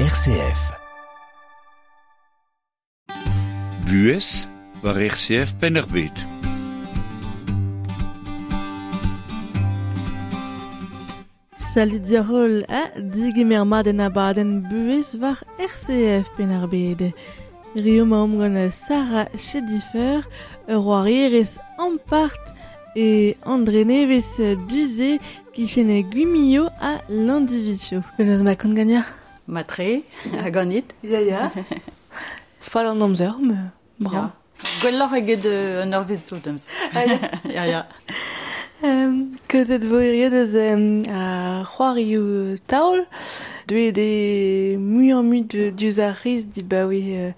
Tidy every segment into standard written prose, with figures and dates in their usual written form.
RCF. Buhez war RCF Penn-ar-Bed. Salut diarol ha digemer mat en abadenn buhez war RCF Penn-ar-Bed. Rio maomp gant Sarah Chedifer, ur c'hoarierez ampart e André Neves Duzé kichen Guimillo a Landivicho. Penaos ma kont gagnard Matre, a ganit. Ya ya. Fall an amzer, me bra. Ya. Gwelloc'h eget an ur zo demz. Ya, ya. Kozet vo hirio deus a c'hoarioù taol, deuet eo muioc'h-mui diouzh ar c'hiz dibaoe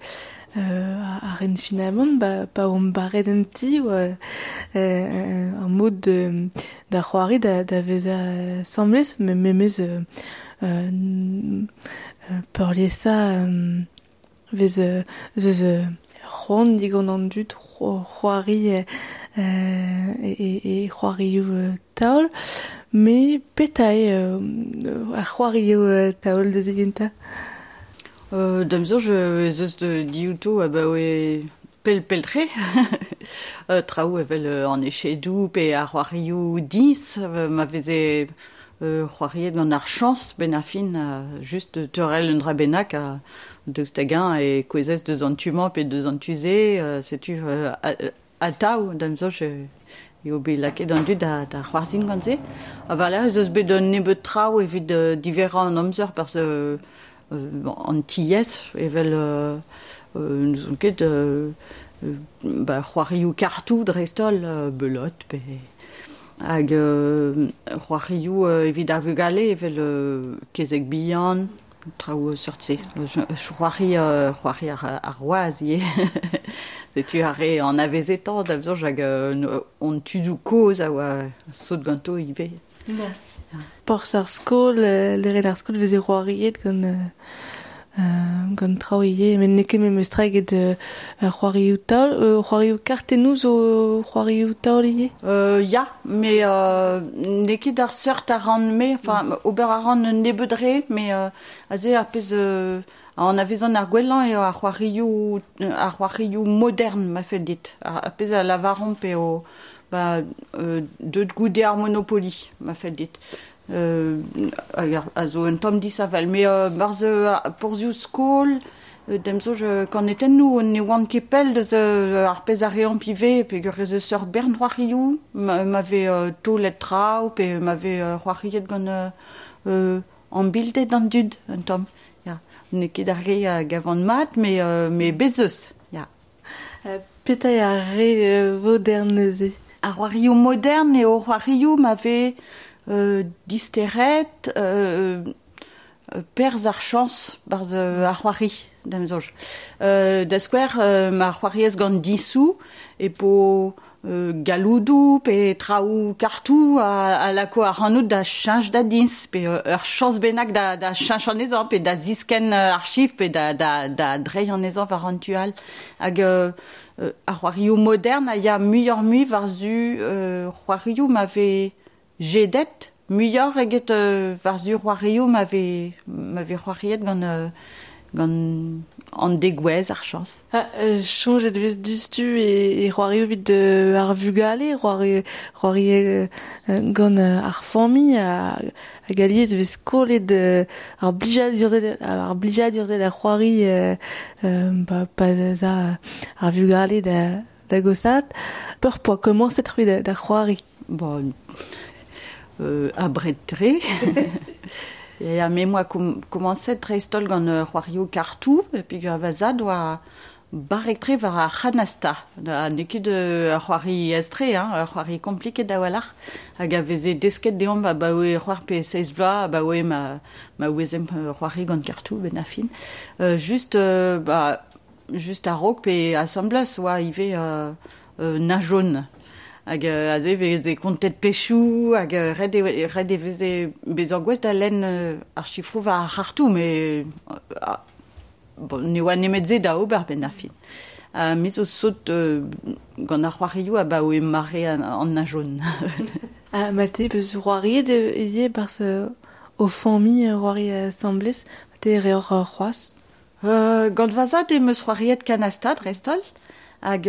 ar ren finamant, ba, pa omp barret un ti, oa ar mod da c'hoari da vezañ semblez, me memez peurliesañ vez zeus c'hoant digant an dud c'hoari e c'hoarioù taol, me petra eo ar c'hoarioù taol da zigentañ? Da'm soñj ez eus diouto abaoe pell-pell-tre. Traoù evel an echedoù pe ar c'hoarioù diñs ma veze c'hoariet gant ar chañs benn ar fin, just teurel un dra bennak ha daoust hag-eñ e kouezhez deus an tu-mañ pe deus an tu-se, setu atav da'm soñj eo bet lakaet an dud da c'hoarzhin gant se. Ha war-lerc'h ez eus bet un nebeud traoù evit diverrañ an amzer parce an tiez evel n'ouzon ket ba c'hoarioù kartoù dreist-holl, belote pe hag c'hoarioù evit ar vugale evel kezeg bihan, traoù seurt-se. C'hoari c'hoari ar waz ivez. Setu ar re anavezetañ da soñj hag hon tudoù kozh a oa sot ganto ivez. Ya. Porzh ar skol, leret ar skol veze c'hoariet gant gant traoù ivez, met n'eo ket memes tra eget c'hoarioù taol. C'hoarioù kartennoù zo c'hoarioù taol ivez? Ya, met n'eo ket ar seurt a ran-me, enfin ober a ran un nebeud re, met aze ar pezh anavezan ar gwellañ eo ar c'hoarioù modern ma fell dit. Ar pezh a lavaromp eo ba deut goude ar Monopoly, ma fell dit. A zo un tamm disheñvel. Met barzh porzhioù skol, da'm soñj kanetennoù ne oant ket pell deus ar pezh a reomp ivez peogwir ez eus ur bern c'hoarioù ma vez taolet traoù pe ma vez c'hoariet gant ambilded an dud un tamm. Ya. N'eo ket ar re a gavan mat, met bez eus. Ya. Petra eo ar re vodern neuze? Ar c'hoarioù modern eo c'hoarioù ma vez disteret perzh ar chañs barzh ar c'hoari, da'm soñj. Da skouer, ma c'hoariez gant diñsoù e po galloudoù pe traoù kartoù a lako ac'hanout da cheñch da diñs pe ur chañs bennak da cheñch anezhañ pe da ziskenn ar chifr pe da dreiñ anezhañ war an tu all. Hag ar c'hoarioù modern a ya muioc'h-mui war-zu c'hoarioù ma vez jedet muioc'h eget war-zu c'hoarioù ma vez c'hoariet gant gant an degouezh ar chañs. Ha soñjet vez diouzhtu e c'hoarioù evit ar vugale, c'hoari gant ar familh hag alies vez kollet ar blijadur-se da c'hoari pa 'z a ar vugale da gosaat. Peur poa komañset c'hwi da c'hoari? Bon, abred-tre. Ya, me moa komañset dreist-holl gant c'hoarioù kartoù, peogwir va zad oa barrek-tre war ar c'hanasta. N'eo ket ur c'hoari aes-tre, hein, ur c'hoari kompliket a-walc'h, hag a veze desket deomp abaoe c'hoar pe seizh vloaz, abaoe ma ouezemp c'hoari gant kartoù benn ar fin. Just a-raok pe asambles oa ivez na jaune. Hag aze veze kontet pechoù, hag ret e veze bezañ gouest da lenn ar chifroù war ar c'hartoù, met bon, ne oa nemet se da ober benn ar fin. Me zo sot gant ar c'hoarioù abaoe mare an na jaune. Ha ma te peus c'hoariet ivez barzh o familh c'hoari asambles, te reoc'h c'hoazh? Gant va zad em eus c'hoariet kanasta dreist-holl. Hag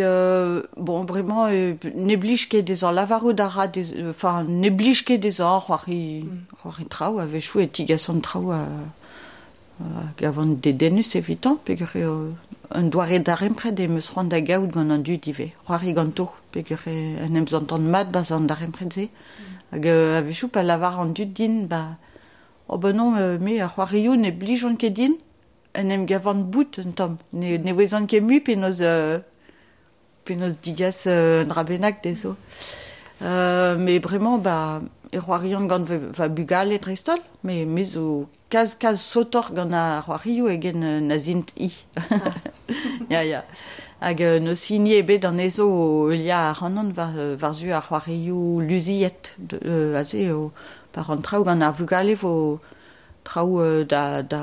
bon, bremañ ne blij ket dezhañ lavarout a ra enfin ne blij ket dezhañ c'hoari c'hoari traoù a-wechoù e tigasan traoù hag a van dedennus evitañ peogwir eo un doare darempred em eus c'hoant da gaout gant an dud ivez. C'hoari ganto peogwir en em santan mat 'barzh an darempred-se. Hag a-wechoù pa lavar an dud din ba oh ben non me ar c'hoarioù ne blijont ket din en em gavan bout un tamm. Ne ouezan ket mui penaos penaos digas un dra bennak dezho. Met bremañ ba e c'hoarian gant va bugale dreist-holl, met me zo kalz kalz sotoc'h gant ar c'hoarioù eget na zint-i. Ya ya. Hag n'eus hini ebet anezho o heuliañ ac'hanon war war-zu ar c'hoarioù luziet aze eo pa ran traoù gant ar vugale vo traoù da da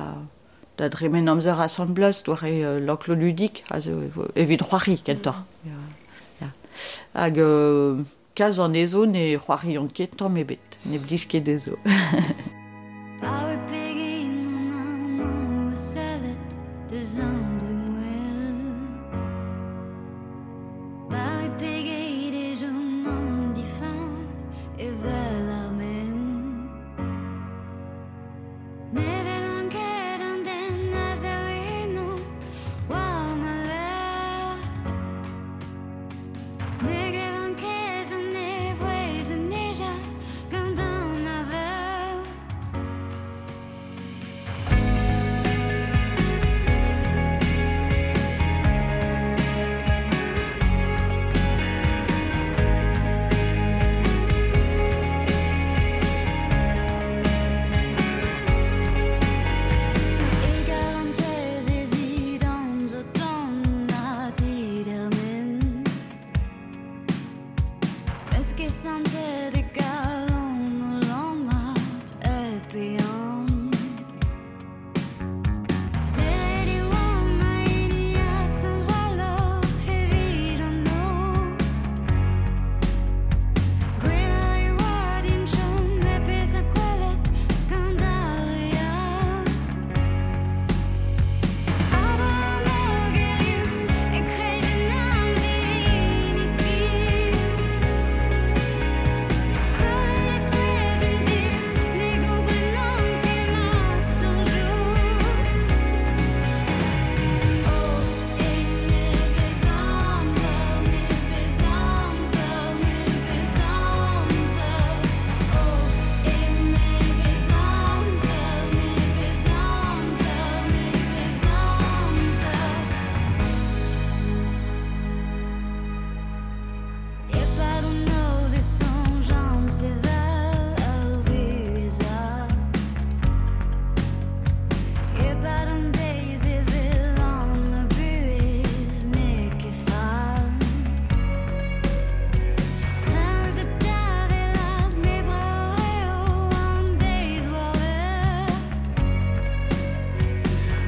da dremen amzer asambles doare l'enclos ludique aze evit c'hoari kentoc'h. Ya, ya. Hag kalz anezho ne c'hoariont ket tamm ebet, ne blij ket dezho. Pa pegin an amañ sellet deus an dremmwel. Pa pegeit e chom an difiñv evel ar men. Ne welan ket an den a zo eno war ma lerc'h. Ne glevan ket an e vouezh o nijal gant an avel. E garantez evidon zo ton ha didermen. Eus ket santet e galon o lammat hep ehan. Serret e oan ma hini ha teñvaloc'h evit an noz. Gwelloc'h e oa din chom hep bezañ gwelet gant ar re all. A-dreñv mogerioù e-kreiz un amzivin iskis. Kollet e-touez an dud ne gomprenont ket ma soñjoù. Oh, e nevez amzer, nevez amzer, nevez amzer. Oh, e nevez amzer, nevez amzer, nevez amzer. E-pad an noz e soñjan sevel ar vuhez all. E-pad an deiz e welan ma buhez n'eo ket fall. Traoù zo da welat met brav eo an deiz war-lerc'h.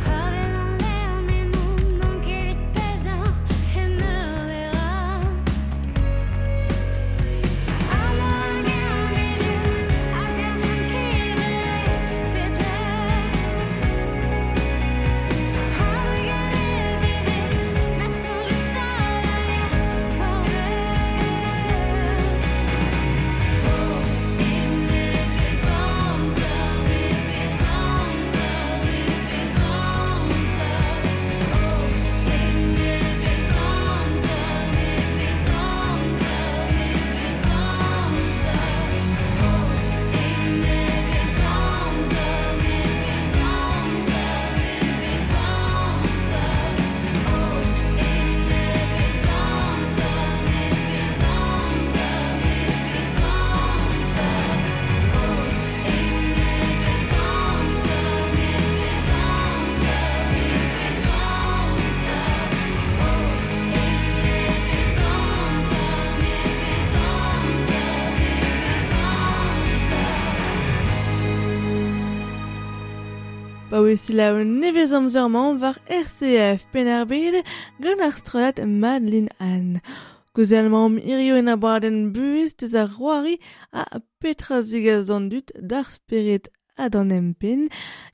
Pa welan lec'h m'emaon n'on ket evit bezañ e meur lec'h all. Amañ hag er maezioù hag er frankiz e pep lec'h. A-drugarez dezhe ma soñjoù fall a ya war wel. Oh, e nevez amzer, nevez amzer, nevez amzer. Oh, e nevez amzer, nevez amzer, nevez amzer. Oh, e nevez amzer, nevez amzer, nevez amzer. Oh, e nevez amzer, nevez amzer, nevez amzer. Oh, e nevez amzer, nevez amzer, nevez amzer. Oh, e nevez amzer, nevez amzer, nevez amzer. Ba oe selaou nevez amzer-mañ war RCF Penn-ar-Bed gant ar strollad Madeline Anne. Kaozeal-mañ hirio en abadenn buhez deus ar c'hoari ha petra zigas d'an dud d'ar spered ha d'an empen,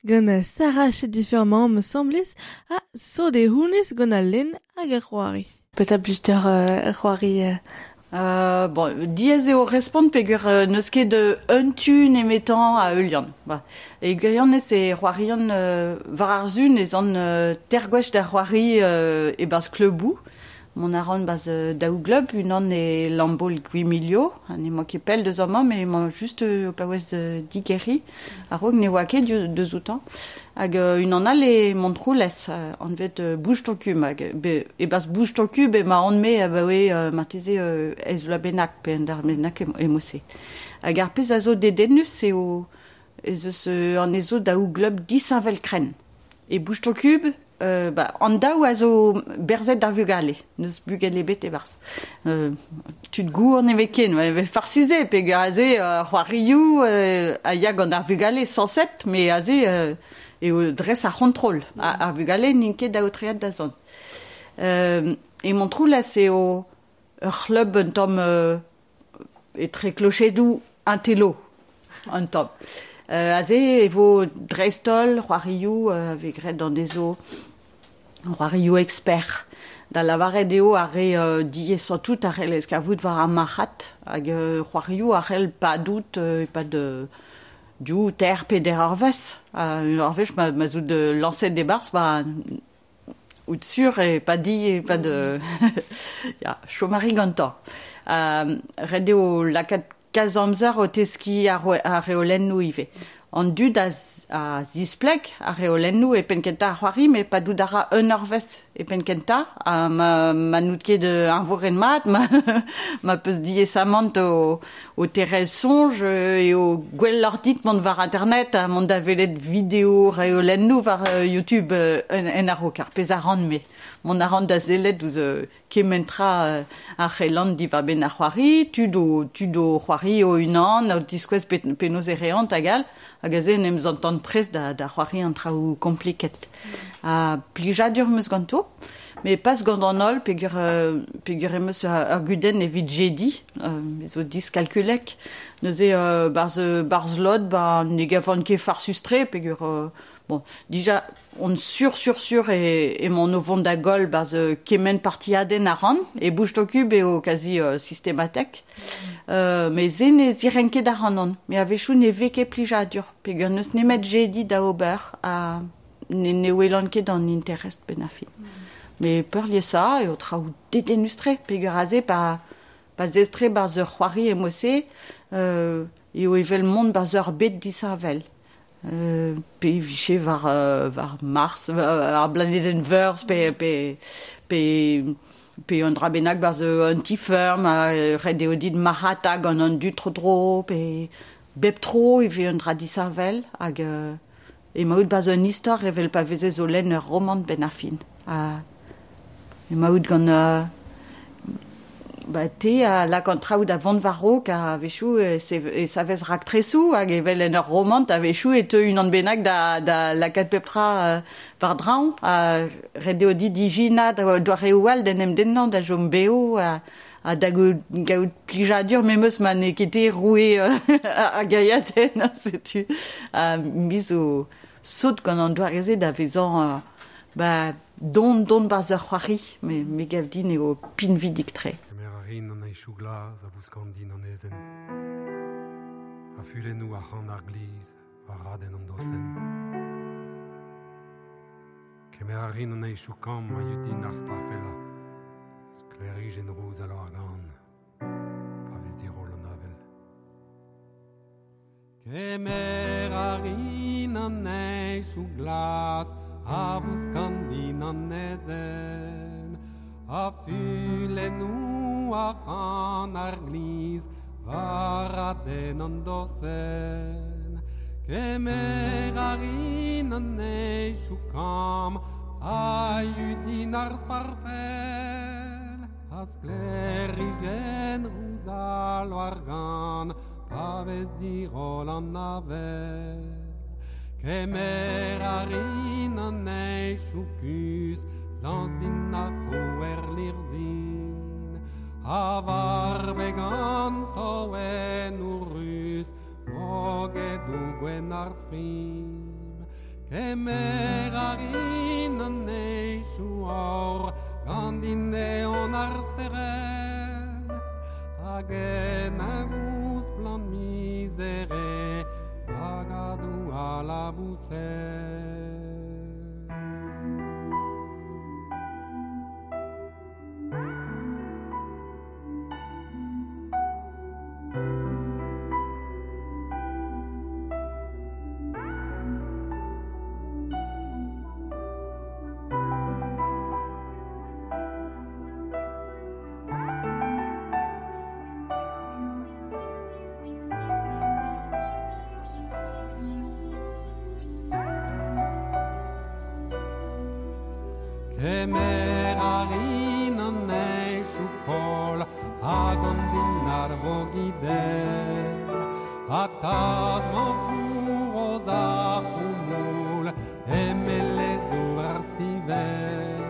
gant Sarah Chediferman me semblez ha sode hounez gant al len hag ar c'hoari. Petra blij deoc'h c'hoari Bon, diaes eo respont peogwir n'eus ket un tu nemetañ a heulian. Ba. E gwirionez e c'hoarian war ar sun ez an ter gwech da c'hoari e-barzh kleuboù. Mont a ran barzh daou gleub, unan e Lambaol-Gwimilio, ha n'emañ ket pell deus amañ, met emañ just o paouez digeriñ, a-raok ne oa ket deus outañ. Hag unan all e Montroulez, anvet Bouge ton cul, hag e-barzh Bouge ton cul emaon-me abaoe marteze eizh vloaz bennak pe un dar bennak emo-se. Hag ar pezh a zo dedennus eo ez eus anezho daou gleub disheñvel-krenn. E Bouge ton cul, ba, an daou a zo berzet d'ar vugale, n'eus bugel ebet e-barzh. Tud gour ne vez ken, farsus eo peogwir aze c'hoarioù a ya gant ar vugale sañset, met aze eo dres ar c'hontrol. Ar vugale n'int ket aotreet da zont. E Montroulez eo ur c'hleub un tamm etre klochedoù un télo, un tamm. Aze e vo dreist-holl c'hoarioù a vez graet anezho c'hoarioù expert. Da lavaret eo ar re diaesañ tout a c'hellez kavout war ar marc'had hag c'hoarioù a c'hell padout e-pad div, teir, peder eurvezh. Un eurvezh ma 'z out lañset e-barzh ba out sur e padi e-pad ya, chom a ri gantañ. Ret eo lakaat kalz amzer o teskiñ ar reolennoù ivez. An dud a zispleg ar reolennoù e penn-kentañ ar c'hoari, met padout a ra un eurvezh e penn-kentañ, ha ma n'out ket eñvoret mat, ma peus diaesamant o tere'hel soñj, eo gwelloc'h dit mont war internet ha mont da welet video reolennoù war YouTube en a-raok, ar pezh a ran-me. Mont a ran da sellet ouzh kement tra a c'hellan diwar-benn ar c'hoari, tud o tud o c'hoari o-unan, o tiskouez penaos e reont hag all, hag aze en em zantan prest da c'hoari an traoù kompliket. Ha plijadur 'm eus ganto, met pas gant an holl peogwir peogwir em eus ur gudenn evit jediñ, me zo diskalkulek. Neuze barzh barzh lod ba ne gavan ket farsus-tre peogwir bon, dija on sur sur sur emaon o vont da goll barzh kement partiadenn a ran, e Bouge ton cul eo kazi sistematek. Met se ne zirenk ket ac'hanon, met a-wechoù ne vez ket plijadur peogwir n'eus nemet jediñ da ober ha ne welan ket an interest benn ar fin. Met peurliesañ eo traoù dedennus-tre peogwir aze pa pa zestre barzh ur c'hoari e-mod-se eo evel mont barzh ur bed disheñvel. Pe e vije war war Mars, ar blanedenn Veurzh pe pe pe pe un dra bennak barzh un ti-feurm ha ret eo dit marc'hata gant an dud tro-dro pe bep tro e vez un dra disheñvel hag emaout barzh un istor evel pa vezez o lenn ur romant benn ar fin. Ha emaout gant ba te a lak an traoù da vont war-raok ha a-wechoù e savez raktresoù hag evel en ur romant a-wechoù e teu unan bennak da lakaat pep tra war-draoñ ha ret eo dit ijinañ doareoù all d'en em dennañ da chom bev ha da gaout plijadur memes ma n'eo ket te roue ar gaiadenn, setu. Ha me zo sot gant an doare-se da vezañ ba don don barzh ur c'hoari, me gav din eo pinvidik-tre. Kemer a rin an heñchoù glas a vouskan din an aezhenn, ha fulennoù arc'hant ar glizh war radenn an dosenn. Kemer a rin an heñchoù kamm a yud din ar sparfellañ, sklêrijenn rouz al loar-gann, pa vez diroll an avel. Kemer a rin an heñchoù glas a vouskan din an aezhenn, ha fulennoù arc'hant ar glizh war radenn an dosenn. Kemer a rin an heñchoù kamm a yud din ar sparfell, ha sklêrijenn rouz al loar-gann pa vez diroll an avel. Kemer a rin an heñchoù kuzh, zañs din ar c'hrouer lirzhin, ha war beg an toennoù ruz. vogedou gwen ar frim. Kemer a rin an eichou aur gant din neon ar stered hag en a plan misere bagadou a la bousset. Kemer a rin an eichou kol hag an din ar vogidel Ha taz manchour oz ar foumoul emelezour ar stivel.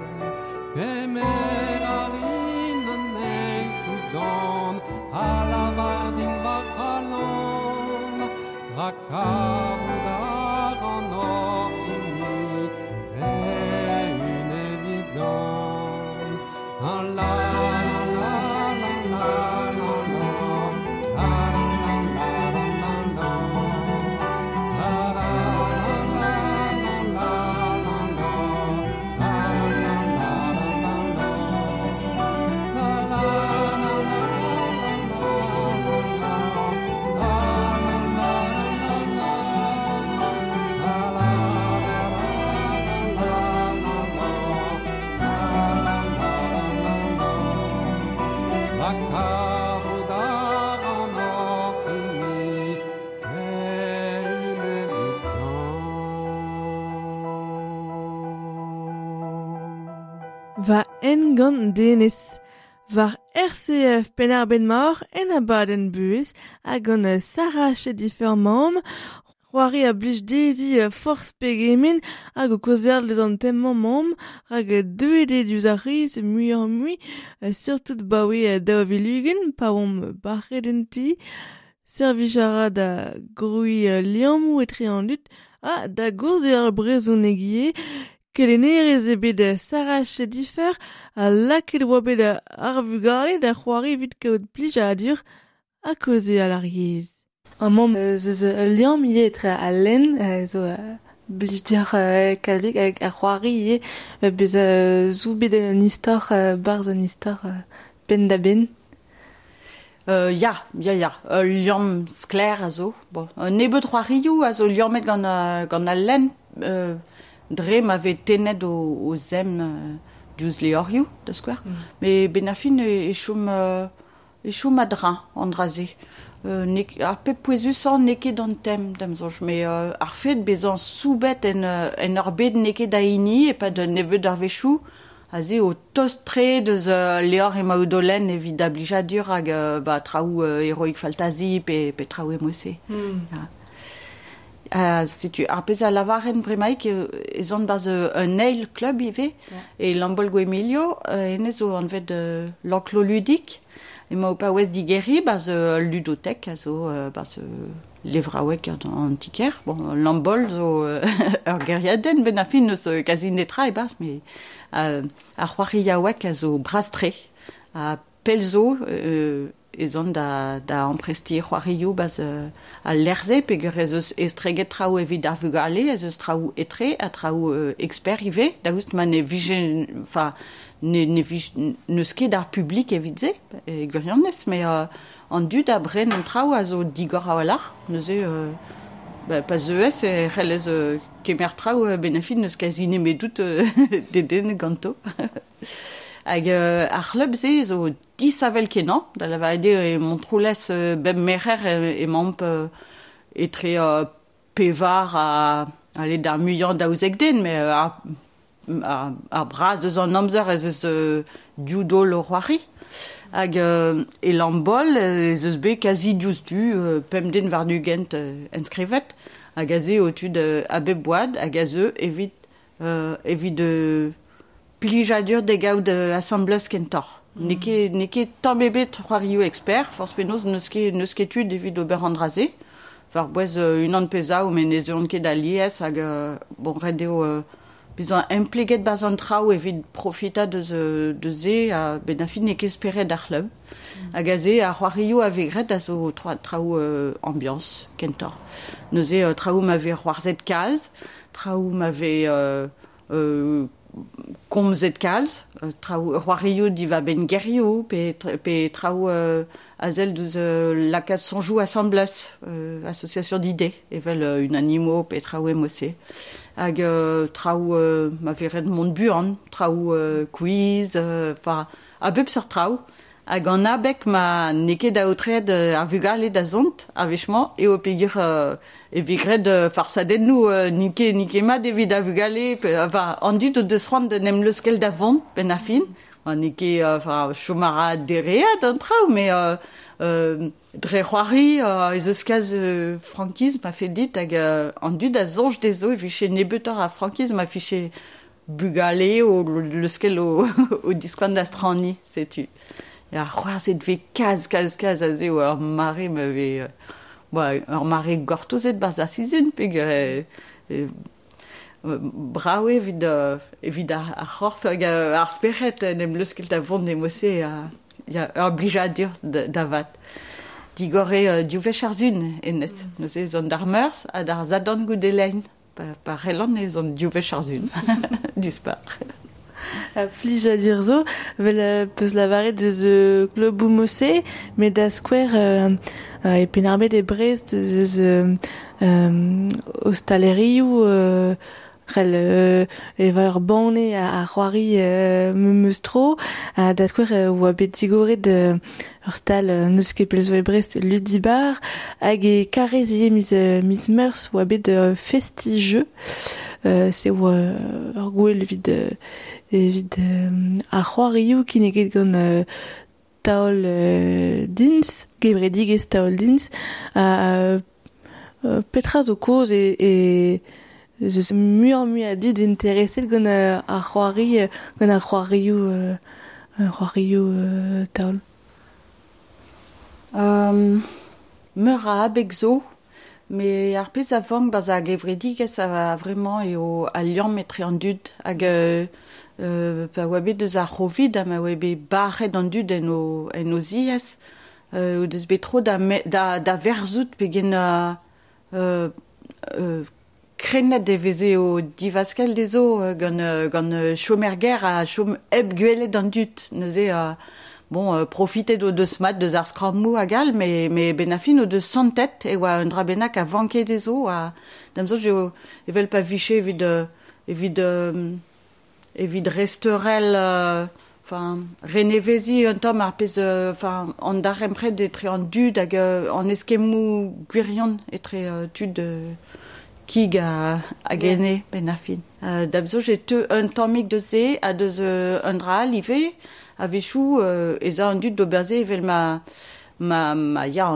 Kemer a rin an eichou dan ha lavar din va c'halon Rak kavout ar an hoc'h hini La la la la la la la la la la la la la la la la la La kavout ar an hoc'h hini eun evidon. Va en gant denez. Var RCF Penn-ar-Bed-Mor en abadenn buhez hag gant Sarah Chedifer mamm, c'hoari a blij dezhi forzh pegement hag o kaozeal deus an tem-mañ mamm rak deuet eo diouzh ar c'hiz muioc'h-mui surtout 'baoe 2020 pa oamp bac'het en ti. Servij a ra da grouiñ liammoù etre an dud ha da gaozeal brezhoneg ivez. Kelennerez eo bet Sarah Chedifer ha lakaet oa bet ar vugale da c'hoari evit kaout plijadur ha kaozeal ar yezh. Amañ ez eus ul liamm ivez etre al lenn zo blij deoc'h kalzik hag ar c'hoari ivez bezañ soubet en un istor 'barzh un istor penn-da-benn. Ya, ya, ya, ul liamm sklaer a zo. Bon, un nebeud c'hoarioù a zo liammet gant gant al lenn dre ma vez tennet o zemm diouzh levrioù, da skouer. Met 'benn ar fin e chom e chom a-dreñv an dra-se. Ar pep pouezusañ n'eo ket an tem, da'm soñj, met ar fed bezañ soubet en en ur bed n'eo ket da hini e-pad un nebeud arvezhioù, aze o tost-tre deus levr emaout o lenn evit da blijadur hag ba traoù heroic fantasy pe traoù e-mod-se. Ya. Setu ar pezh a lavaren bremaik ez on 'barzh un eil klub ivez, e Lambaol-Gwemilio, hennezh zo anvet l'enclos ludique. Emañ o paouez digeriñ 'barzh ul ludotek a zo 'barzh levraoueg an ti-kêr. Bon, Lambaol zo ur gêriadenn 'benn ar fin n'eus kazi netra e-barzh, met ar c'hoariaoueg a zo bras-tre. Ha pell zo ez an da amprestiñ c'hoarioù 'barzh al lec'h-se peogwir ez eus estreget traoù evit ar vugale, ez eus traoù etre ha traoù expert ivez, daoust ma ne vije, enfin, ne ne vije n'eus ket ar publik evit se e gwirionez, met an dud a bren an traoù a zo digor a-walc'h, neuze pa zeuez e c'hellez kemer traoù 'benn ar fin n'eus kazi nemedout dedennet ganto. Hag ar c'hlub-se zo disavel kenañ, da lavaret eo e Montroulez bep merc'her emaomp etre pevar ha ale d'ar muiañ 12 den, met ar braz deus an amzer ez eus div daol o c'hoari. Hag e Lambaol ez eus bet kazi diouzhtu 5 den warn-ugent enskrivet, hag aze eo tud a bep oad hag a zeu evit evit plijadur da gaout asambles kentoc'h. N'eo ket n'eo ket tamm ebet c'hoarioù expert, forzh penaos n'eus ket n'eus ket tud evit ober an dra-se. War bouez unan pe zaou, met ne zeuont ket alies hag bon, ret eo bezañ empleget 'barzh an traoù evit profitañ deus deus se ha 'benn ar fin n'eo ket spered ar c'hleub. Hag aze ar c'hoarioù a vez graet a zo traoù ambiañs kentoc'h. Neuze traoù ma vez c'hoarzhet kalz, traoù ma vez komzet kalz, traoù c'hoarioù diwar-benn gerioù pe pe traoù a sell deus lakaat soñjoù asambles, association d'idées evel unanimo pe traoù e-mod-se. Hag traoù ma vez ret mont buan, traoù quiz, enfin a bep seurt traoù. Hag an abeg ma n'eo ket aotreet ar vugale da zont ar wech-mañ eo peogwir e vez graet farsadennoù n'int ket n'int ket mat evit ar vugale enfin an dud o deus c'hoant d'en em leuskel da vont 'benn ar fin. N'eo ket enfin chom a ra dereat an traoù met dre c'hoari ez eus kalz frankiz ma fell dit hag an dud a soñj dezho e vije nebeutoc'h a frankiz ma vije bugale o leuskel o diskoan da straniñ setu. Ya, c'hoarzhet 'vez kalz, kalz, kalz aze eo ur mare ma vez ba ur mare gortozet 'barzh ar sizhun peogwir brav eo evit evit ar c'horf hag ar spered en em leuskel da vont e-mod-se ha ya ur blijadur da vat. Digor eo div wech ar sizhun hennezh. Neuze ez an d'ar Meurzh ha d'ar Sadorn goude lein. Pa c'hellan ez an div wech ar sizhun. Dispar. Plijadur zo, 'vel 'peus lavaret eus kluboù mod-se, met da skouer e Penn-ar-Bed e Brest ez eus ostalerioù c'hell evañ ur banne ha c'hoari memes tro. Ha da skouer oa bet digoret ur stal n'eus ket pell zo e Brest, Ludibar, hag e Karrez ivez miz miz Meurzh oa bet Festi-jeu. Se oa ur gouel evit evit ar c'hoarioù kinniget gant Taol Dins, gevredigezh Taol Dins. Petra zo kaoz e ez eus muioc'h-mui a dud intereset gant ar c'hoari gant ar c'hoarioù c'hoarioù taol? Meur a abeg zo, met ar pezh a vank 'barzh ar gevredigezh a-vremañ eo al liamm etre an dud hag pa oa bet eus ar C'hovid ha ma oa bet bac'het an dud en o en o ziez o deus bet tro da da verzout pegen krennet e veze o divaskell dezho gant gant chom er gêr ha chom hep gwelet an dud. Neuze bon profitet o deus mat deus ar skrammoù hag all met met 'benn ar fin o deus santet e oa un dra bennak a vanke dezho ha da'm soñj eo evel pa vije evit evit evit resteurel enfin reneveziñ un tamm ar pezh enfin an darempred etre an dud hag an eskemmoù gwirion etre tud kig hag ene 'benn ar fin. Da'm soñj e teu un tammig deus se ha deus un dra all ivez. A-wechoù ez a an dud d'ober se evel ma ma ma ya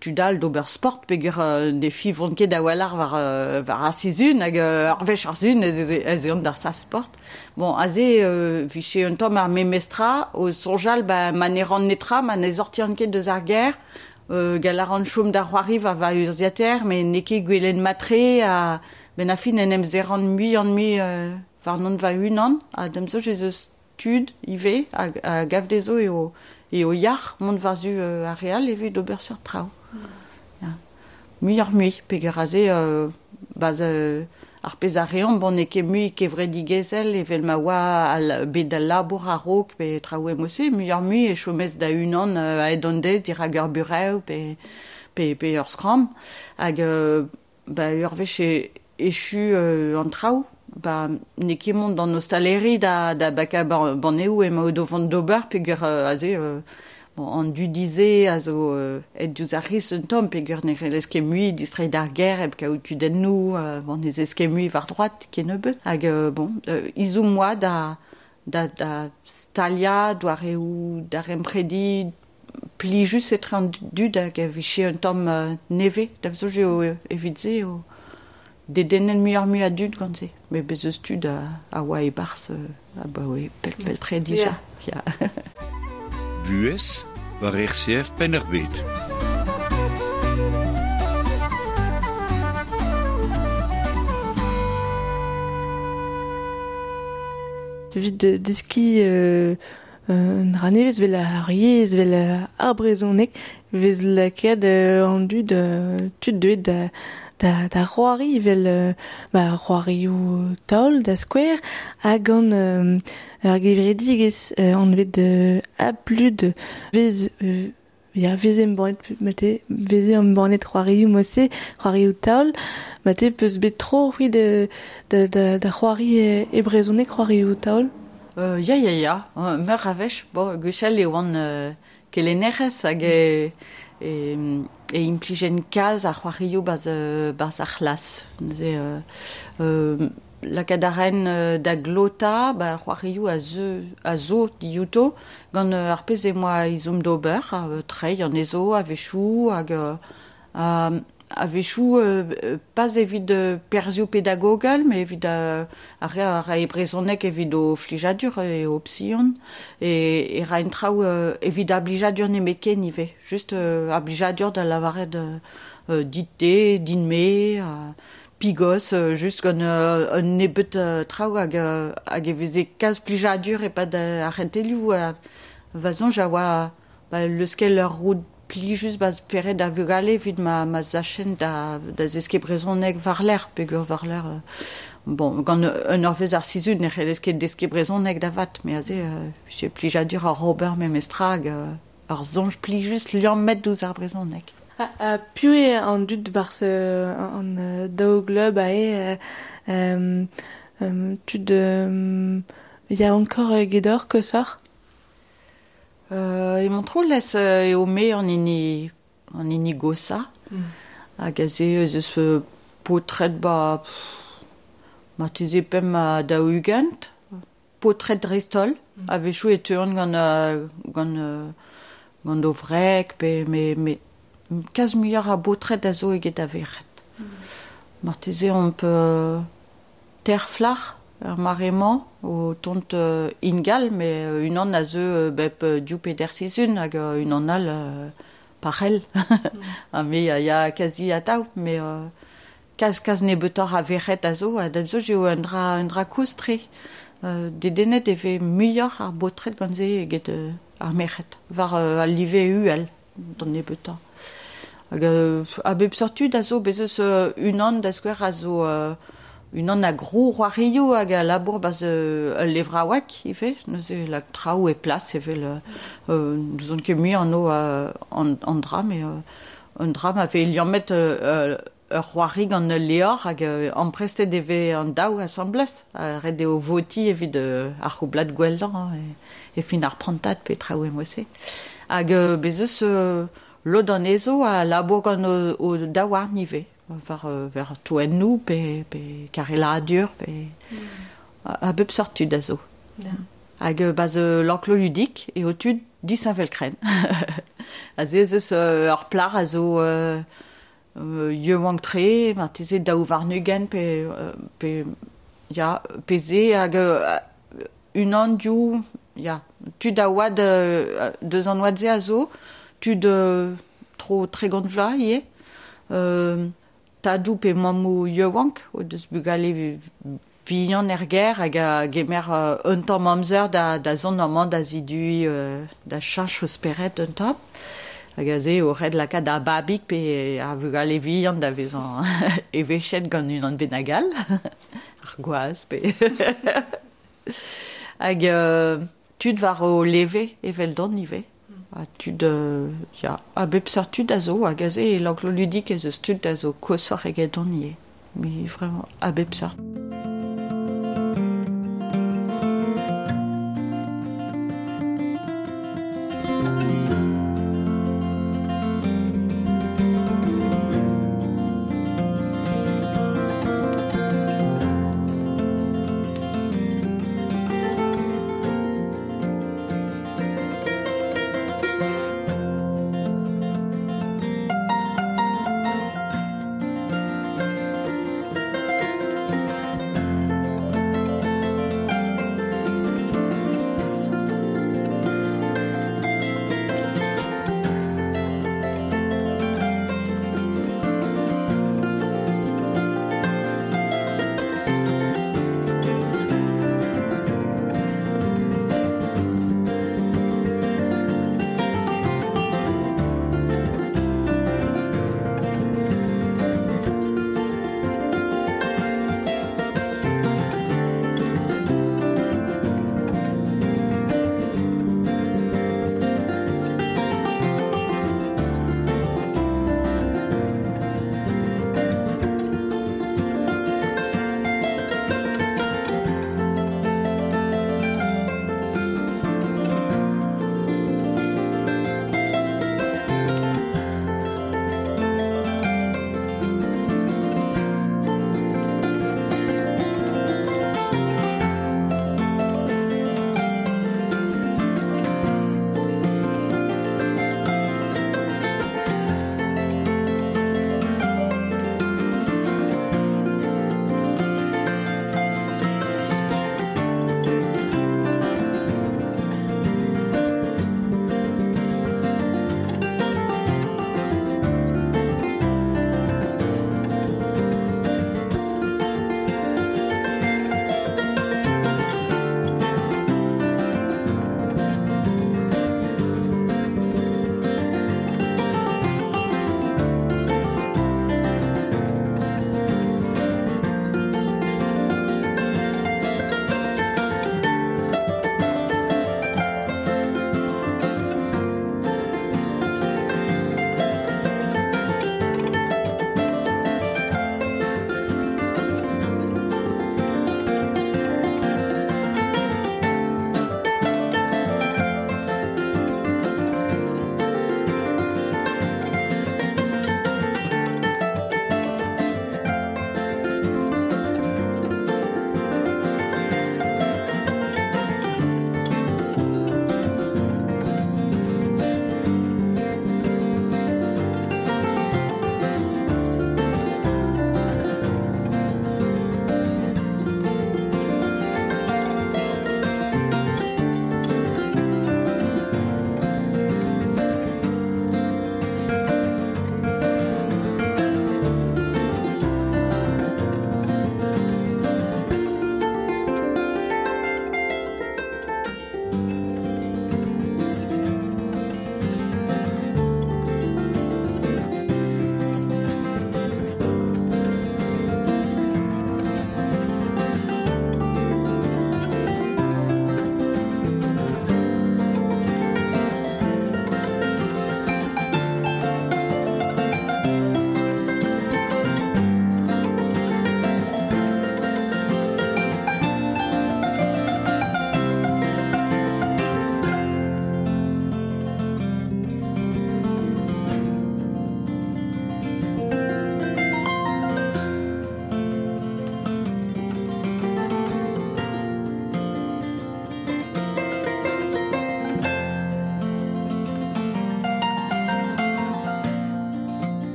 tud all d'ober sport peogwir ne fiñvont ket a-walc'h war war ar sizhun hag ur wech ar sizhun ez eont d'ar sal-sport. Bon, aze 'vije un tamm ar memes tra o soñjal ba ma ne ran netra, ma ne sortian ket deus ar gêr, gall a ran chom da c'hoari war va urzhiataer met n'eo ket gwelet mat-tre ha 'benn ar fin en em serran muioc'h-mui warnon va-unan ha da'm soñj ez eus tud ivez a gav dezho eo eo yac'h mont war-zu ar re all evit ober seurt traoù. Ya. Muioc'h-mui peogwir aze ba ar pezh a reomp bon n'eo ket mui kevredigezhel evel ma oa al bet al labour a-raok pe traoù e-mod-se muioc'h-mui e chomez da-unan a-hed an deiz dirak ur burev pe pe pe ur skramm hag ba ur wech echu an traoù ba n'eo ket mont d'an ostaleri da da bakañ banneoù emaout o vont d'ober peogwir aze bon an dudi-se a zo aet diouzh ar c'hiz un tamm peogwir ne c'hellez ket mui distreiñ d'ar gêr hep kaout kudennoù bon ne zez ket mui war droad kennebeut hag bon ezhomm 'oa da da da staliañ doareoù daremprediñ plijus etre an dud hag a vije un tamm nevez da'm soñj eo evit se eo dedennet muioc'h-mui a dud gant se met bez' eus tud a oa e-barzh abaoe pell-pell-tre dija. Ya. Buhez war RCF Penn-ar-Bed. Evit deskiñ un dra nevez 'vel ar yezh, 'vel ar brezhoneg, 'vez lakaet an dud tud deuet da c'hoari evel c'hoarioù taol da skouer hag gant ur gevredigezh anvet Aplud 'vez ya 'veze embannet mate 'veze embannet c'hoarioù mod-se, c'hoarioù taol mate 'peus bet tro c'hwi da c'hoari e brezhoneg c'hoarioù taol? Ya ya ya, meur a wech, bon gwechall e oan kelennerez hag e implijen kalz ar c'hoarioù barzh ar c'hlas. Neuze lakaat a raen da glotañ ba c'hoarioù a zo diouto gant ar pezh emañ ezhomm d'ober, treiñ anezho a-wechoù hag a-wechoù pas evit perzhioù pedagogel, met evit ar re a rae brezhoneg evit o flijadur e opsion e raent traoù evit ar blijadur nemetken ivez. Just ar blijadur da lavaret dit-te, din-me, pigos, just gant un nebeud traoù hag e veze kalz plijadur e-pad ar c'hentelioù. Va soñj a oa leuskel ur roud plijus 'ba spered ar vugale evit ma zachenn da zeskiñ brezhoneg war-lerc'h peogwir war-lerc'h bon gant un eurvezh ar sizhun ne c'hellez ket deskiñ brezhoneg da vat met aze vije plijadur oc'h ober memestra hag ur soñj plijus liammet ouzh ar brezhoneg. Ha piv eo an dud 'barzh an daou glub aze tud yaouankoc'h egedoc'h koshoc'h? E Montroulez eo me an hini goshañ. Hag aze ez eus paotred 'ba marteze pemp ha 40, paotred dreist-holl. A-wechoù e teuont gant o wreg pe me kalz muioc'h a baotred a zo eget a verc'hed. Marteze omp ter flac'h er mare-mañ o tont ingal, met unan a zeu bep div pe der sizhun hag unan all pa c'hell. Ha me a ya kazi atav, met kalz nebeutoc'h a verc'hed a zo ha da soñj eo un dra kozh-tre. Dedennet e vez muioc'h ar baotred gant se eget ar merc'hed, war al live uhel d'an nebeutañ. Hag a bep seurt tud a zo, bez' eus unan da skouer a zo unan a grou c'hoarioù hag a labour 'barzh ul levraoueg ivez, neuze lak traoù e plas evel n'ouzon ket mui anv an dra, met un dra ma vez liammet ur c'hoari gant ul levr hag amprestet e vez an daou asambles. Ret eo votiñ evit ar c'houblad gwellañ e fin ar prantad pe traoù e-mod-se. Hag bez' eus lod anezho a labour gant o daouarn ivez. War toennoù pe kareladur pe a bep seurt tud a zo. Hag 'barzh l'enclos ludique eo tud disheñvel-krenn. Aze ez eus ur plac'h a zo yaouank-tre, marteze 22 pe ya pe se hag unan div ya tud a oad deus an oad-se a zo, tud tro 30 vloaz ivez. Tadoù pe mammoù yaouank o deus bugale vihan er gêr hag a gemer un tamm amzer da zont amañ da ziduiñ da cheñch o spered un tamm. Hag aze eo ret lakaat ar babig pe ar vugale vihan da vezañ eveshet gant unan bennak all, ar gwaz pe... Hag tud war o leve eveldon ivez. Ha tud, ya, a bep seurt tud a zo, hag aze e l'enclos ludique ez eus tud a zo koshoc'h egedon ivez. Mais vraiment, a bep seurt.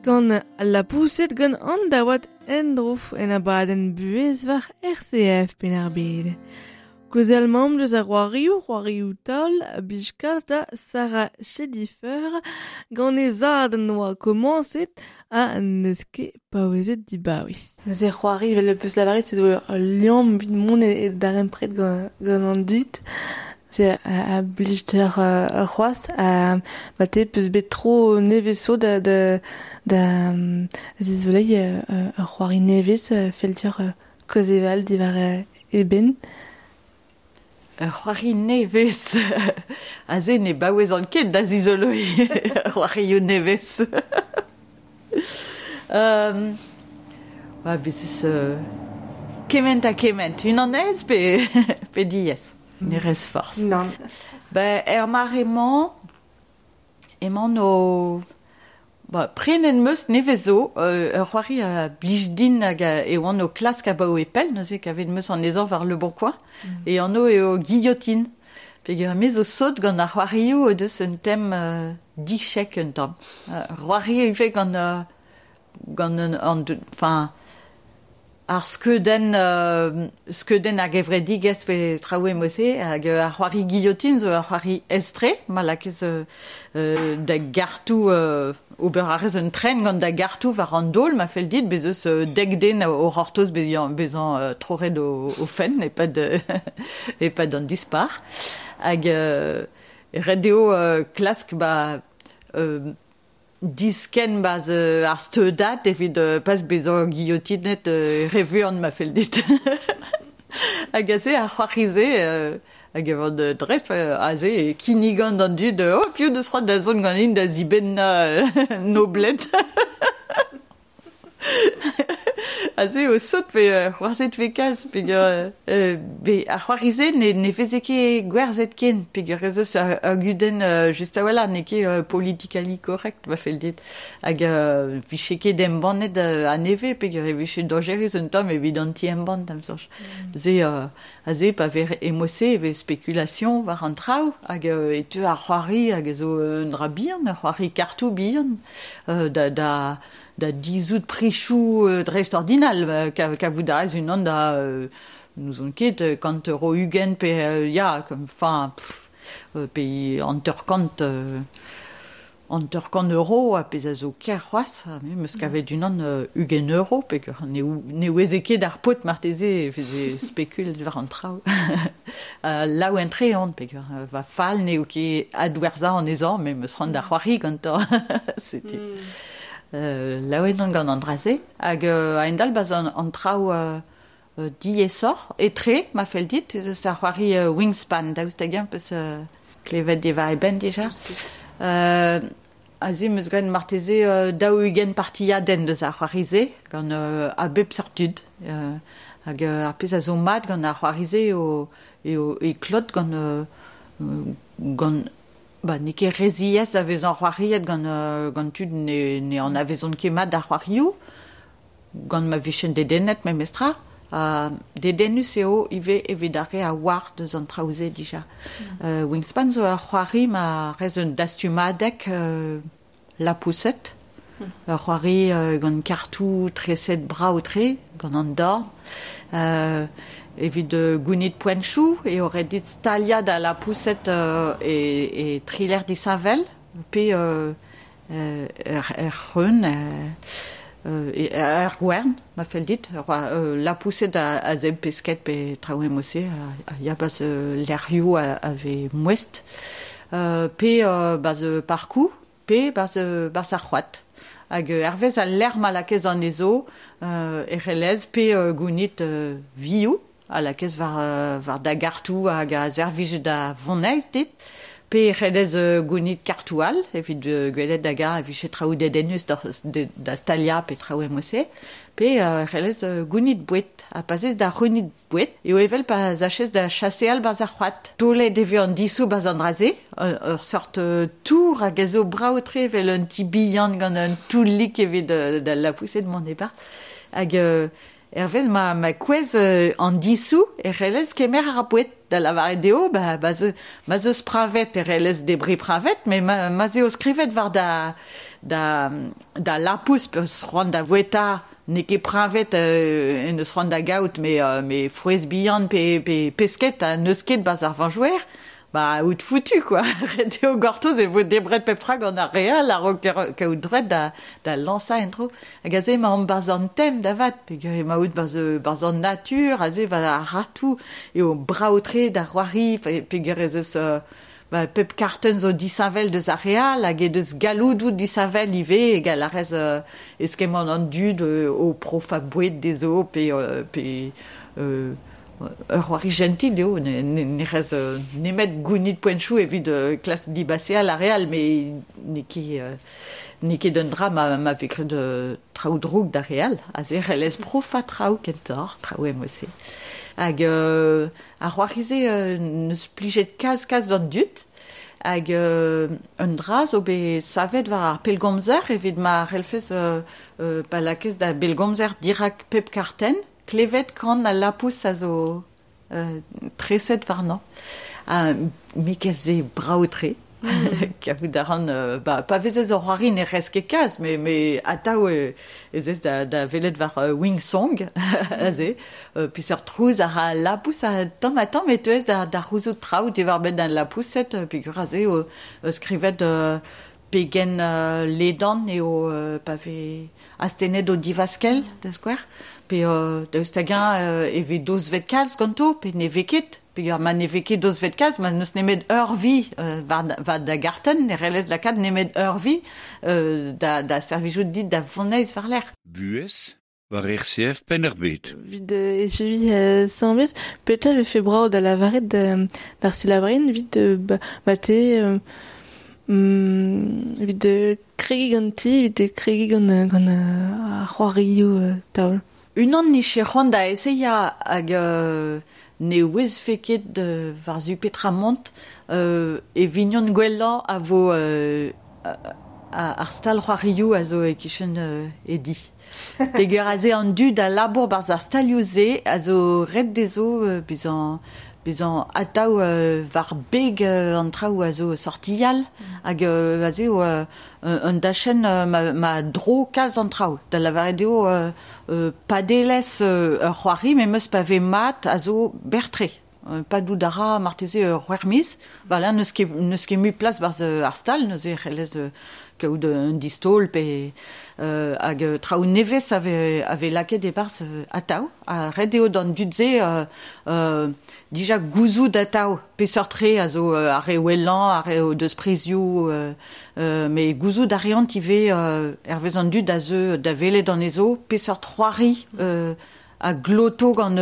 Gant la pouset gant an daouad endrof en abadenn buhez war RCF Penn-ar-Bed. Kozel mamm deus ar c'hoarioù taol, blij kalz da Sarah Chedifer, gant e zad noa komañset ha n'eus ket paouezet dibaoe. Neuze c'hoari vel peus lavaret se zo ul liamm evit mont e darempred gant an dud. Se a blij d'ur c'hoazh ha ma te peus bet tro nevez zo da da zizoleiñ ur c'hoari nevez fell deoc'h kaozeal diwar e benn. Ur c'hoari nevez. Aze ne baouezan ket da zizoloiñ c'hoarioù nevez. Ba, bez eus kement ha kement. Unan aes pe diaes. Ne rez forzh. Nann. Ba, er mare-mañ emaon o... Ba, prenet 'm eus nevez zo ur c'hoari a blij din hag e oan o klask abaoe pell, neuze kavet 'm eus anezhañ war Le Bon Coin. E anv eo Guillotine. Peogwir me zo sot gant ar c'hoarioù o deus un tem dichek un tamm. C'hoari ivez gant gant an enfin ar skeudenn skeudenn ar gevredigezh pe traoù e-mod-se hag ar c'hoari Guillotine zo ur c'hoari aes-tre ma lakez da gartoù ober a rez un tren gant da gartoù war an daol ma fell dit bez eus dek den o c'hortoz bezañ troret o fenn e-pad e-pad an dispac'h hag ret eo klask ba diskenn 'barzh ar steudad evit pas bezañ guillotinet re vuan ma fell dit. Hag aze ar c'hoari-se hag e vont dreist aze e kinnigan d'an dud oh piv deus c'hoant da zont ganin da zibennañ Noblet. Aze eo sot pe c'hoarzhet 'vez kalz peogwir ar c'hoari-se ne veze ket gwerzhet ken peogwir ez eus ur gudenn just a-walc'h n'eo ket politically correct ma fell dit hag 'vije ket embannet a-nevez peogwir e vije dañjerus un tamm evit an ti-embann da'm soñj. Se aze pa vez e-mod-se e vez spekulation war an traoù hag e teu ar c'hoari hag a zo un dra bihan, ur c'hoari kartoù bihan da da dizhout prichoù dreistordinal kavout a rez unan da n'ouzon ket kant euro ugent pe ya enfin pe hanter-kant hanter-kant euro ha pezh a zo ker c'hoazh me 'm eus kavet unan 20 euro peogwir ne oueze ket ar paotr marteze e veze spekulet war an traoù. Laouen-tre on peogwir va fal n'eo ket adwerzhañ anezhañ me 'm eus c'hoant da c'hoari gantañ setu. Laouen on gant an dra-se hag a-hend-all 'barzh an traoù diaesoc'h etre ma fell dit ez eus ar c'hoari Wingspan daoust hag-eñ 'peus klevet diwar e benn dija. Aze 'm eus graet marteze 40 partiadenn deus ar c'hoari-se gant a bep seurt tud hag ar pezh a zo mat gant ar c'hoari-se eo eo e klot gant gant Ba n'eo ket re ziaes da vezañ c'hoariet gant gant tud ne ne anavezont ket mat ar c'hoarioù, gant ma vijent dedennet memestra. Ha dedennus eo ivez evit ar re a oar deus an traoù-se dija. Wingspan zo ur c'hoari ma rez un dastumadeg lapoused. Ur c'hoari gant kartoù treset brav-tre gant an dorn. Evit gounit poentoù eo ret dit staliañ da lapoused e tri lec'h disheñvel pe er c'hreun, er gwern ma fell dit. Lapoused a zebr pesked pe traoù e-mod-se a ya 'barzh lec'hioù a vez mouest. Pe 'barzh parkoù. Pe 'barzh ar c'hoad. Hag hervez al lec'h ma lakaez anezho e c'hellez pe gounit vioù a lakaez war da gartoù hag a servij da voneiz dit, pe e c'hellez gounit kartoù all evit gwelet hag-eñ e vije traoù dedennus da staliañ pe traoù e-mod-se, pe e c'hellez gounit boued. Ha pa 'z ez da c'hounit Boued eo evel pa sachez da chaseal 'barzh ar c'hoad. Taolet e vez an disoù 'barzh an dra-se, ur seurt tour hag a zo brav-tre evel un ti bihan gant un toullig evit da lapoused mont e-barzh. Hag hervez ma kouezh an disoù e c'hellez kemer ar boued. Da lavaret eo ma 'z eus preñved e c'hellez debriñ preñved, met ma 'z eo skrivet war da da lapous peus c'hoant da voueta n'eo ket preñvet en eus c'hoant da gaout me frouezh bihan pe pesket ha n'eus ket barzh ar vañjouer, ba out foutu quoi. Ret eo gortoz e vo debret pep tra gant ar re all a-raok kaout droed da lañsañ en-dro. Hag aze emaomp barzh an tem da vat, peogwir emaout barzh an natur, aze war ar ratoù eo brav-tre da c'hoari, peogwir ez eus ba, pep kartenn zo disheñvel deus ar re all hag he deus galloudoù disheñvel ivez egal a rez eskemm an dud o profañ boued dezho pe ur c'hoari jentil eo ne rez nemet gounit poentoù evit klask dibaseal ar re all met n'eo ket un dra ma vez graet traoù drouk d'ar re all. Aze c'hellez profañ traoù kentoc'h, traoù emo-se. Hag ar c'hoari-se n'eus plijet kalz d'an dud. Hag un dra zo bet savet war ar pellgomzer evit ma c'hellfes pa lakez da bellgomzer dirak pep kartenn, klevet kan al lapous a zo treset warnañ. Ha me gav se brav-tre. Kavout a ran ba, pa vezez o c'hoari ne rez ket kalz, me atav ez ez da welet war Wing Song aze peseurt trouz a ra al lapous ha tamm-ha-tamm e teuez da c'houzout traoù diwar-benn al lapoused peogwir aze eo skrivet pegen ledan eo pa vez astennet o divaskell da skouer pe daoust hag-eñ e vez dozvet kalz ganto pe ne vez ket. Peogwir ma ne vez ket dozvet kalz, ma n'eus nemet ur vi war da gartenn, ne c'hellez lakaat nemet ur vi da servijout dit da voneiz war-lerc'h. Buhez war RCF Penn-ar-Bed. Vid echevi sañvez, petra vefe brav da lavaret d'ar selaouerien evit mate evit kregiñ ganti, evit kregiñ gant ar c'hoarioù taol. Unan nije c'hoant da esellañ hag ne ouezfe ket war-zu petra mont e vignon gwellañ a vo ar stal c'hoarioù a zo e-kichen e di. Peogwir aze an dud a labour barzh ar stalioù-se a zo ret dezho bezañ atav war beg an traoù a zo sortial hag aze eo un dachenn ma dro kalz an traoù. Da lavaret eo padelezh ur c'hoari memes pa vez mat a zo berr-tre. Padout a ra marteze ur c'hwec'h miz. Voilà, n'eus ket mui plas barzh ar stal, neuze c'hellez kaout un distaol pe hag traoù nevez a vez lakaet e-barzh atav. Ha ret eo d'an dud-se dija gouzout atav peseurt re a zo ar re wellañ, ar re o deus prizioù, met gouzout a reont ivez hervez an dud a zeu da welet anezho peseurt c'hoari a gloto gant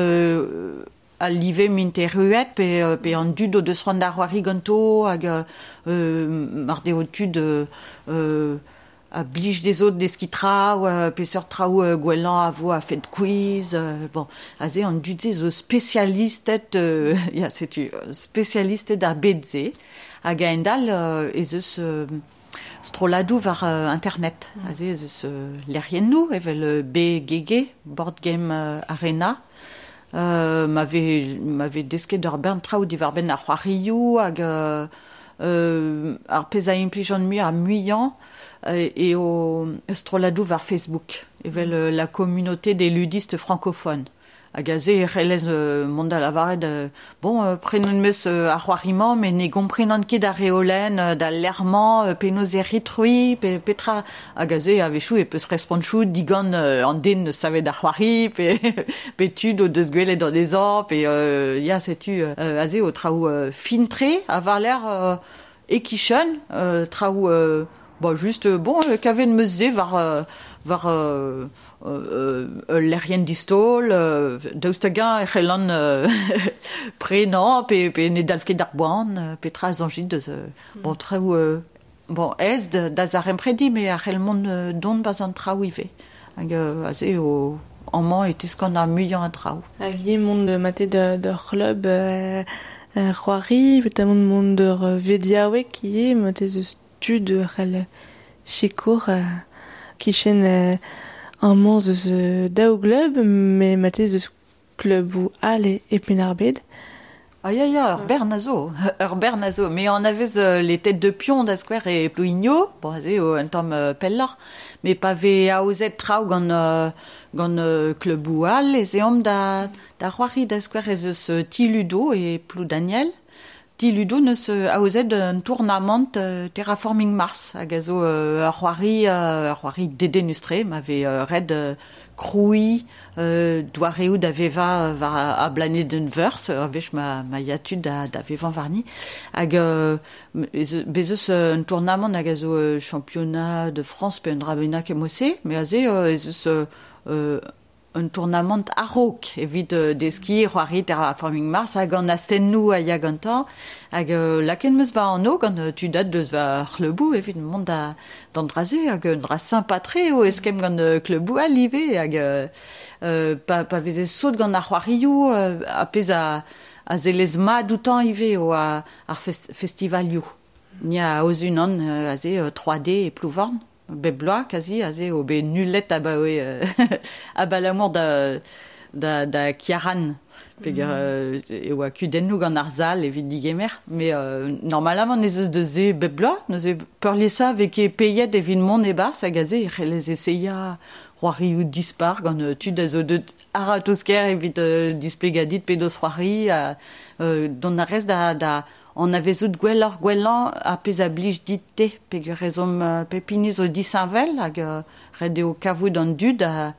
al live m'int erruet pe an dud o deus c'hoant da c'hoari ganto hag mar deo tud a blij dezho deskiñ traoù peseurt traoù gwellañ a vo a-fet quiz bon aze an dud-se zo spesialisted ya setu spesialisted ar bed-se hag a-hend-all ez eus strolladoù war internet aze ez eus lec'hiennoù evel BGG Board Game Arena ma vez desket ur bern traoù diwar-benn ar c'hoarioù hag ar pezh a implijan mui ar muiañ eo strolladoù war Facebook evel la communauté des ludistes francophones. Hag aze e c'hellez mont da lavaret bon prenon meus ar c'hoari-mañ met ne gomprenan ket ar reolenn da lec'h-mañ penaos e rit-c'hwi pe petra hag aze a-wechoù e peus respontoù digant an den neus savet ar c'hoari pe tud o deus gwelet anezhañ pe ya setu aze o traoù fin-tre ha war-lerc'h e-kichen traoù Bon, juste, bon, kavet 'm eus se war ul lec'hienn distaol, daoust hag-eñ e c'hellan prenañ pe ne dalv ket ar boan, petra a soñjit deus bon, traoù bon, aes da zaremprediñ, met a c'hell mont don barzh an traoù ivez. Hag aze eo amañ e teskan ar muiañ a draoù. Hag ivez mont mate d'ur c'hlub c'hoari, petamant mont d'ur vediaoueg ivez, mate eus tud c'hell sikour kichen amañ eus daou glub, met mate eus kluboù all e Penn-ar-Bed. Ah ya ya, ur bern a zo, ur bern a zo. Mais on avait les têtes de pion da skouer e Plouigno, bon, aze o un tamm pelloc'h, mais pa vez aozet traoù gant, gant klubou all, ez eomp da, da c'hoari da skouer ez eus Ti Ludo e Ploudaniel. Ti Ludo neus aozet un tournamant Terraforming Mars, hag a zo ur c'hoari, ur c'hoari dedennus-tre, ma vez ret krouiñ doareoù da vevañ war ar blanedenn Veurzh, ur wech ma, ma ya tud da, da vevañ warni. Hag bez eus un tournamant hag a zo championnat de France pe un dra bennak e mod-se, mais aze ez eus un tournamant a-raok evit deskiñ c'hoari Terraforming Mars hag an astennoù a ya gantañ hag lakaet 'm eus va anv gant tud deus va c'hleuboù evit mont da d'an dra-se hag un dra sympa-tre eo eskemm gant kleuboù all ivez hag pa, pa veze sot gant ar c'hoarioù ar pezh a, a zellez mat outañ ivez eo ar festivalioù. Ni a aoz unan aze 3D e Plouvorn. Bep bloaz kazi aze eo bet nullet abaoe abalamour da da da Kiaran peger e oa kudennoù gant ar sal evit digemer mais normalement ez eus deus se bep bloaz neuze peurliesañ vez ket peiet evit mont e-barzh hag aze e c'hellez eseia c'hoarioù dispar gant tud a zo deut a-ratozh-kaer evit displegañ dit penaos c'hoari dont a rez da da anavezout gwelloc'h gwellañ ar pezh a blij dit-te peogwir ez omp pep hini zo disheñvel hag ret eo kavout an dud a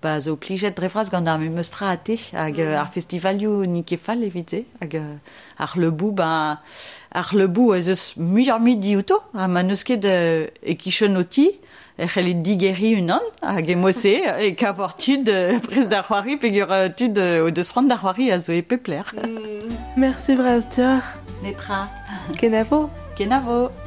ba zo plijet dre vras gant ar memes tra ha te hag ar festivalioù n'int ket fall evit se hag ar c'hleuboù ba ar c'hleuboù ez eus muioc'h-mui diouto ha ma n'eus ket e-kichen ho ti e c'hellit digeriñ unan hag e mod-se e kavoc'h tud prest da c'hoari peogwir tud o deus c'hoant da c'hoari a zo e pep lec'h. Merci bras deoc'h. Netra. Kenavo. Kenavo.